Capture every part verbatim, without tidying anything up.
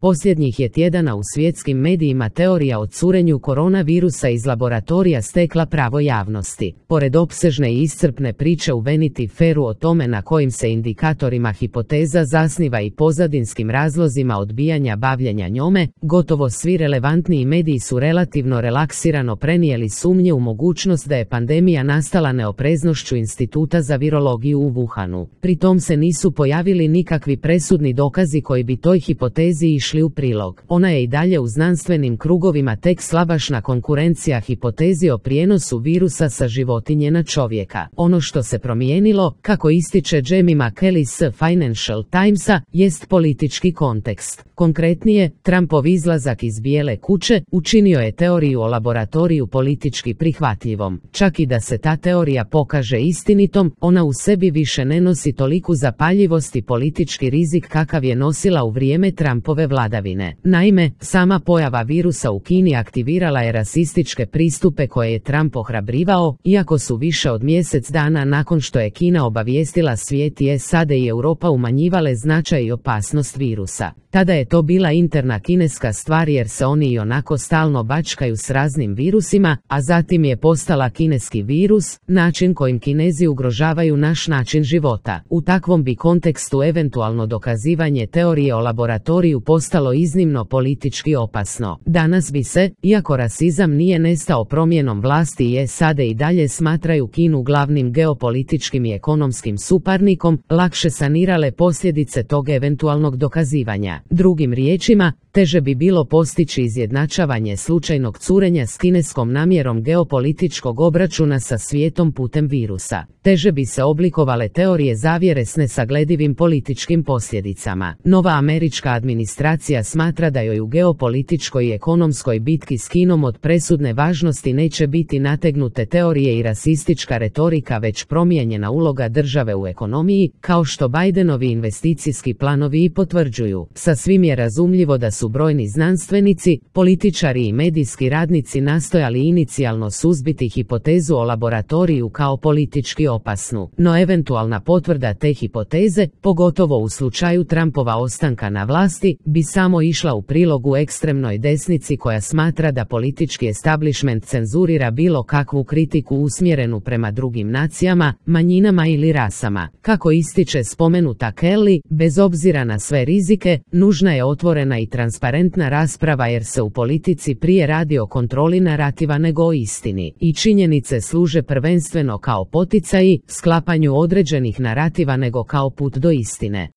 Posljednjih je tjedana u svjetskim medijima teorija o curenju koronavirusa iz laboratorija stekla pravo javnosti. Pored opsežne i iscrpne priče u Vanity Fairu o tome na kojim se indikatorima hipoteza zasniva i pozadinskim razlozima odbijanja bavljenja njome, gotovo svi relevantniji mediji su relativno relaksirano prenijeli sumnje u mogućnost da je pandemija nastala neopreznošću Instituta za virologiju u Wuhanu. Pri tom se nisu pojavili nikakvi presudni dokazi koji bi toj hipotezi išli u prilog. Ona je i dalje u znanstvenim krugovima tek slabašna konkurencija hipotezi o prijenosu virusa sa životinje na čovjeka. Ono što se promijenilo, kako ističe Jamie McKelly s Financial Timesa, jest politički kontekst. Konkretnije, Trumpov izlazak iz Bijele kuće učinio je teoriju o laboratoriju politički prihvatljivom. Čak i da se ta teorija pokaže istinitom, ona u sebi više ne nosi toliku zapaljivost i politički rizik kakav je nosila u vrijeme Trumpove vladavine. Naime, sama pojava virusa u Kini aktivirala je rasističke pristupe koje je Trump ohrabrivao, iako su više od mjesec dana nakon što je Kina obavijestila svijet i S A D i Europa umanjivale značaj i opasnost virusa. Tada je to bila interna kineska stvar jer se oni i onako stalno bačkaju s raznim virusima, a zatim je postala kineski virus, način kojim Kinezi ugrožavaju naš način života. U takvom bi kontekstu eventualno dokazivanje teorije o laboratoriju postalo iznimno politički opasno. Danas bi se, iako rasizam nije nestao promjenom vlasti i S A D i dalje smatraju Kinu glavnim geopolitičkim i ekonomskim suparnikom, lakše sanirale posljedice tog eventualnog dokazivanja. Drugim riječima, teže bi bilo postići izjednačavanje slučajnog curenja s kineskom namjerom geopolitičkog obračuna sa svijetom putem virusa. Teže bi se oblikovale teorije zavjere s nesagledivim političkim posljedicama. Nova američka administracija smatra da joj u geopolitičkoj i ekonomskoj bitki s Kinom od presudne važnosti neće biti nategnute teorije i rasistička retorika već promijenjena uloga države u ekonomiji, kao što Bidenovi investicijski planovi i potvrđuju. Sasvim je razumljivo da su brojni znanstvenici, političari i medijski radnici nastojali inicijalno suzbiti hipotezu o laboratoriju kao politički opasnu, no eventualna potvrda te hipoteze, pogotovo u slučaju Trumpova ostanka na vlasti, bi samo išla u prilogu ekstremnoj desnici koja smatra da politički establishment cenzurira bilo kakvu kritiku usmjerenu prema drugim nacijama, manjinama ili rasama. Kako ističe spomenuta Kelly, bez obzira na sve rizike, nužna je otvorena i transparentna rasprava jer se u politici prije radi o kontroli narativa nego o istini. I činjenice služe prvenstveno kao poticaji, sklapanju određenih narativa nego kao put do istine.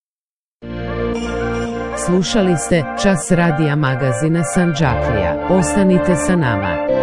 Slušali ste Čas radija magazina Sandžaklija. Ostanite sa nama.